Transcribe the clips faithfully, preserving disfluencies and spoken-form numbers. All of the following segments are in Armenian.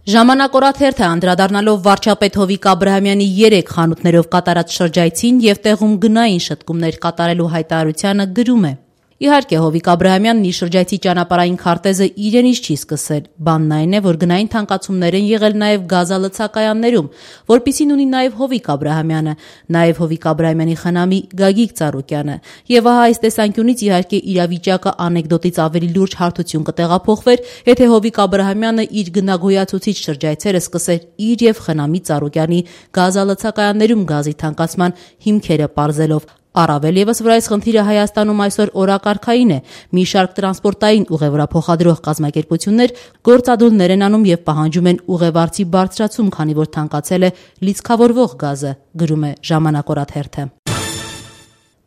Ժամանակորաթ հերթը անդրադառնալով վարչապետ Հովիկ Աբրահամյանի երեք խանութներով կատարած շրջայցին եւ տեղում գնային շտկումներ կատարելու հայտարարությանը գրում է. Իհարկե, Հովիկ Աբրահամյանն իր շրջայցի ճանապարհային քարտեզը իրենից չի սկսել։ Բանն այն է, որ գնային թանկացումներ են եղել նաև գազալցակայաններում, որպիսին ունի նաև Հովիկ Աբրահամյանը, նաև Հովիկ Աբրահամյանի խնամի Գագիկ Ծառուկյանը։ Եվ ահա այս տեսանկյունից իհարկե իրավիճակը անեկդոտից ավելի լուրջ հարթություն կտեղափոխվեր, եթե Հովիկ Աբրահամյանը իր գնագոյացուցիչ շրջայցերը սկսեր իր եւ խնամի Ծառուկյանի գազալցակայաններում գազի թանկացման հիմքերը պարզելով։ Առավել ևս, որ այս խնդիրը Հայաստանում այսօր օրակարգային է, մի շարք տրանսպորտային ուղևորափոխադրող կազմակերպություններ գործադուլներ են անում եւ պահանջում են ուղևարցի բարձրացում, քանի որ թանկացել է լիցքավորվող գազը, գրում է Ժամանակորաթ հերթը։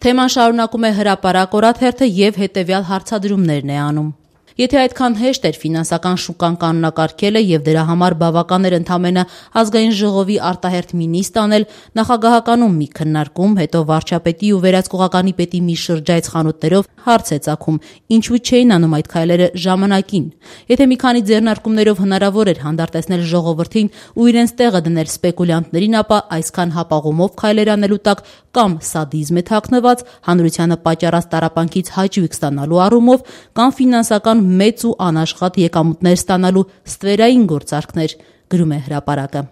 Թեման շարունակում է Հրապարակ օրաթ հերթը եւ հետեւյալ հարցադրումներն է անում. Եթե այդքան հեշտ էր ֆինանսական շուկան կանոնակարգելը եւ դրա համար բավական էր ընդամենը ազգային ժողովի արտահերթ մինիստ անել, նախագահականում մի քննարկում, հետո վարչապետի ու վերահսկողականի պետի մի շրջայց խանութներով հարց է ծագում, ինչու չէին անում այդ քայլերը ժամանակին։ Եթե մի քանի ձեռնարկումներով հնարավոր էր հանդարտեցնել ժողովրդին ու իրենց տեղը դնել սպեկուլյանտներին, ապա այսքան հապաղումով քայլեր անելու տակ կամ սադիզմ է թաքնված, հանրությանը պատճառած տառապանքից հաճույք ստանալու առումով, կամ ֆինանսական մեծ ու անաշխատ եկամուտներ ստանալու ստվերային գործարքներ, գրում է Հրապարակը։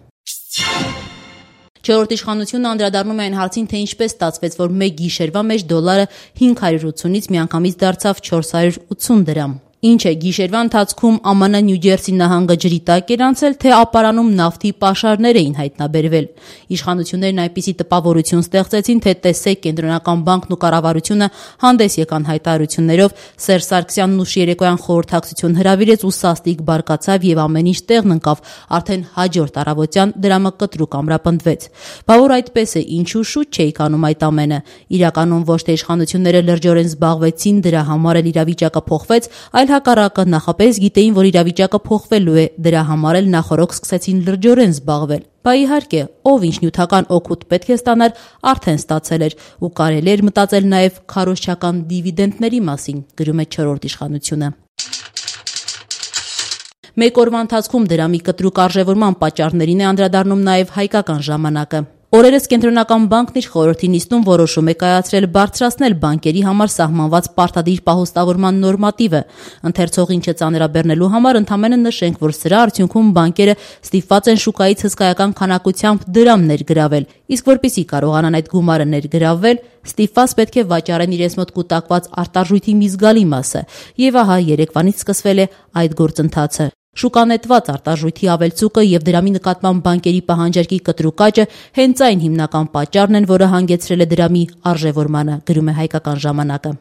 Չորրորդ իշխանությունը անդրադառնում է այն հարցին, թե ինչպես ստացվեց, որ մեկ գիշերվա մեջ դոլարը հինգ հարյուր ութունից միանգամից դարձավ չորս հարյուր ութուն դրամ։ Ինչ է, գիշերվա ընթացքում ԱՄՆ Նյու Ջերսի նահանգը ջրի տակ էր անցել, թե ապարանում նավթի պաշարներ էին հայտնաբերվել։ Իշխանություններն այնպիսի տպավորություն ստեղծեցին, թե տեսեք, Կենտրոնական բանկն ու կառավարությունը հանդես եկան հայտարարություններով, Սերժ Սարգսյանն ուշ երեկոյան խորհրդակցություն հրավիրեց ու սաստիկ բարկացավ եւ ամեն ինչ տեղն ընկավ, արդեն հաջորդ առավոտյան դրամը կտրուկ ամրապնդվեց։ Բա որ այդպես է, ինչու շուտ չէիք անում այդ ամենը։ Իրականում ոչ թե իշխանությունները լրջորեն զբաղվեցին դրա համար, էլ իրավիճակը փոխվեց, այլ հակառակը նախապես գիտեին, որ իրավիճակը փոխվելու է, դրա համար էլ նախորոք սկսեցին լրջորեն զբաղվել։ Բա իհարկե, ով ինչ նյութական օգուտ պետք է ստանար, արդեն ստացել էր, ու կարելի էր մտածել նաև քարոզչական դիվիդենդների մասին, գրում է չորրորդ իշխանությունը։ Մեկ օրվա ընթացքում դրամի կտրուկ արժևորման պատճառներին է անդրադառնում նաև Հայկական ժամանակը։ Օրերս Կենտրոնական բանկն իր խորհրդի նիստում որոշում է կայացրել բարձրացնել բանկերի համար սահմանված պարտադիր պահոստավորման նորմատիվը։ Ընթերցողին չծանրաբեռնելու համար ընդամենը նշենք, որ սրա արդյունքում բանկերը ստիպված են շուկայից հսկայական քանակությամբ դրամ ներգրավել, իսկ որպեսզի կարողանան այդ գումարը ներգրավել, ստիպված պետք է վաճառեն իրենց մոտ կուտակված արտարժույթի մի զգալի մասը, եւ ահա երեկվանից սկսվել է այդ գործընթացը։ Շուկանետված արտարժույթի ավելցուկը եւ դրամի նկատմամբ բանկերի պահանջարկի կտրուկ աճը հենց այն հիմնական պատճառն են, որը հանգեցրել է դրամի արժևորմանը, գրում է Հայկական ժամանակը։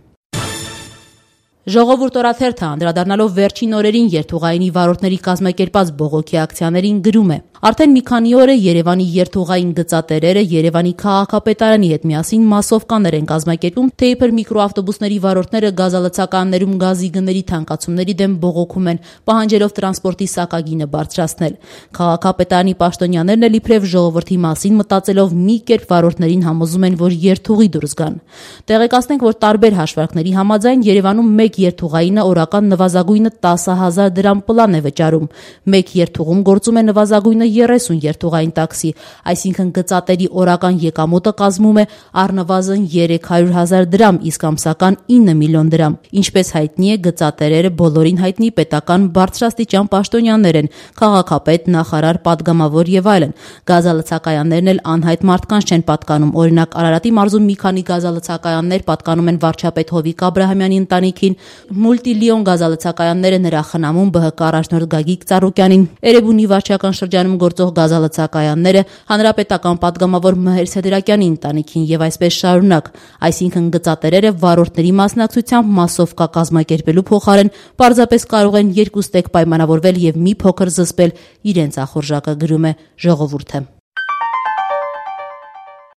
Ժողովուրդ օրաթ հերթը անդրադառնալով վերջին օրերին երթուղայինի վարորդների կազմակերպած բողոքի ակցիաներին գրում է. Արդեն մի քանի օր է Երևանի երթուղային գծատերերը Երևանի քաղաքապետարանի հետ միասին մասովկաներ են կազմակերպում, թե իբր միկրոավտոբուսների վարորդները գազալցակայաններում գազի գների թանկացումների դեմ բողոքում են, պահանջելով տրանսպորտի սակագինը բարձրացնել։ Քաղաքապետարանի պաշտոնյաներն էլ իբրև ժողովրդի մասին մտածելով մի կերպ վարորդներին համոզում են, որ երթուղի դուրս գան։ Տեղեկացնենք, որ տարբեր հաշվարկների համաձայն Երևանում մեկ երթուղայինը օրական նվազագույնը տասը հազար դրամ պլան է վճարում։ Մեկ երթուղում գործում է նվազագույնը երեսուն երթուղային տաքսի, այսինքն գծատերի օրական եկամուտը կազմում է առնվազն երեք հարյուր հազար դրամ, իսկ ամսական ինը միլիոն դրամ։ Ինչպես հայտնի է, գծատերերը բոլորին հայտնի պետական բարձրաստիճան պաշտոնյաներ են, քաղաքապետ, նախարար, падգամավոր եւ այլն։ Գազալցակայաններն էլ անհայտ մարդկանց չեն պատկանում։ Օրինակ, Արարատի մարզում մի քանի գազալցակայաններ պատկանում են վարչապետ Հովիկ Աբրահամյանի ընտանիքին, Մուլտիլիոն գազալցակայանները նրա խնամուն Բ Հ Կ առաջնորդ Գագիկ Ծառուկյանին, Էրեբունի վարչական շրջանում գործող գազալցակայանները հանրապետական падգամավոր Մհեր Սեդրակյանի ընտանիքին եւ այսպես շարունակ, այսինքն գծատերերը վարորդների մասնակցությամբ մասովկա կազմակերպելու փոխարեն պարզապես կարող են երկուստեք պայմանավորվել եւ մի փոքր զսպել իրենց ախորժակը, գրում է Ժողովուրդը։